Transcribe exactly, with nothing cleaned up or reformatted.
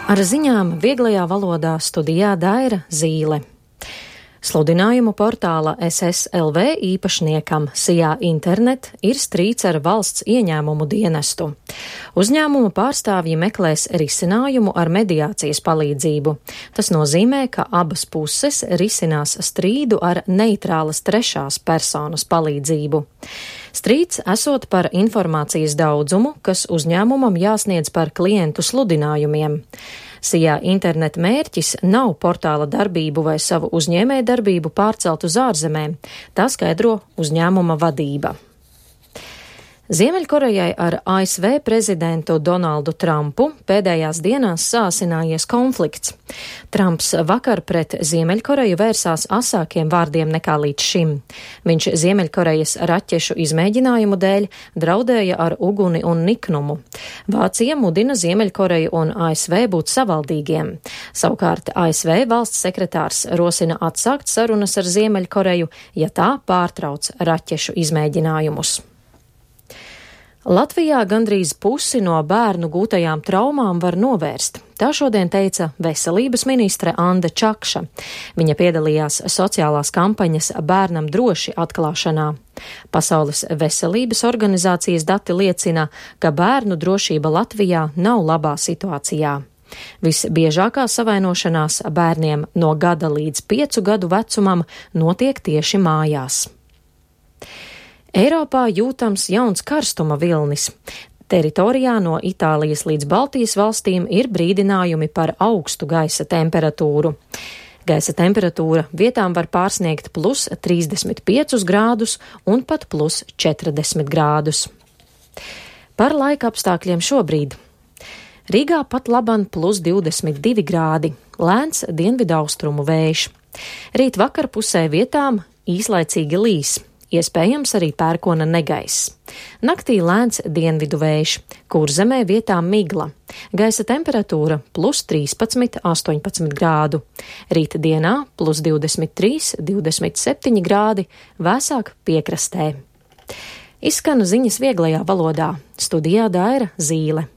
Ar ziņām vieglajā valodā studijā Daira Zīle. Sludinājumu portāla S S L V īpašniekam Sijā Internet ir strīds ar valsts ieņēmumu dienestu. Uzņēmuma pārstāvji meklēs risinājumu ar mediācijas palīdzību. Tas nozīmē, ka abas puses risinās strīdu ar neitrālas trešās personas palīdzību. Strīds esot par informācijas daudzumu, kas uzņēmumam jāsniedz par klientu sludinājumiem. Sijā Internet mērķis nav portāla darbību vai savu uzņēmēju darbību pārcelt uz ārzemēm, tā skaidro uzņēmuma vadība. Ziemeļkorejai ar A S V prezidentu Donaldu Trumpu pēdējās dienās sāsinājies konflikts. Trumps vakar pret Ziemeļkoreju vērsās asākiem vārdiem nekā līdz šim. Viņš Ziemeļkorejas raķešu izmēģinājumu dēļ draudēja ar uguni un niknumu. Vācija mudina Ziemeļkoreju un A S V būt savaldīgiem. Savukārt A S V valsts sekretārs rosina atsākt sarunas ar Ziemeļkoreju, ja tā pārtrauc raķešu izmēģinājumus. Latvijā gandrīz pusi no bērnu gūtajām traumām var novērst. Tā šodien teica veselības ministre Anda Čakša. Viņa piedalījās sociālās kampaņas Bērnam droši atklāšanā. Pasaules veselības organizācijas dati liecina, ka bērnu drošība Latvijā nav labā situācijā. Visbiežākā savainošanās bērniem no gada līdz piecu gadu vecumam notiek tieši mājās. Eiropā jūtams jauns karstuma vilnis. Teritorijā no Itālijas līdz Baltijas valstīm ir brīdinājumi par augstu gaisa temperatūru. Gaisa temperatūra vietām var pārsniegt plus trīsdesmit piecus grādus un pat plus četrdesmit grādus. Par laika apstākļiem šobrīd. Rīgā pat laban plus divdesmit divi grādi, lēns dienvidaustrumu vējš. Rīt vakarpusē vietām īslaicīgi līs. Iespējams arī pērkona negaiss. Naktī lēns dienvidu vējš, Kurzemē vietām migla. Gaisa temperatūra plus trīspadsmit astoņpadsmit grādu. Rīta dienā plus divdesmit trīs divdesmit septiņi grādi, vēsāk piekrastē. Izskan ziņas vieglajā valodā. Studijā Daira Zīle.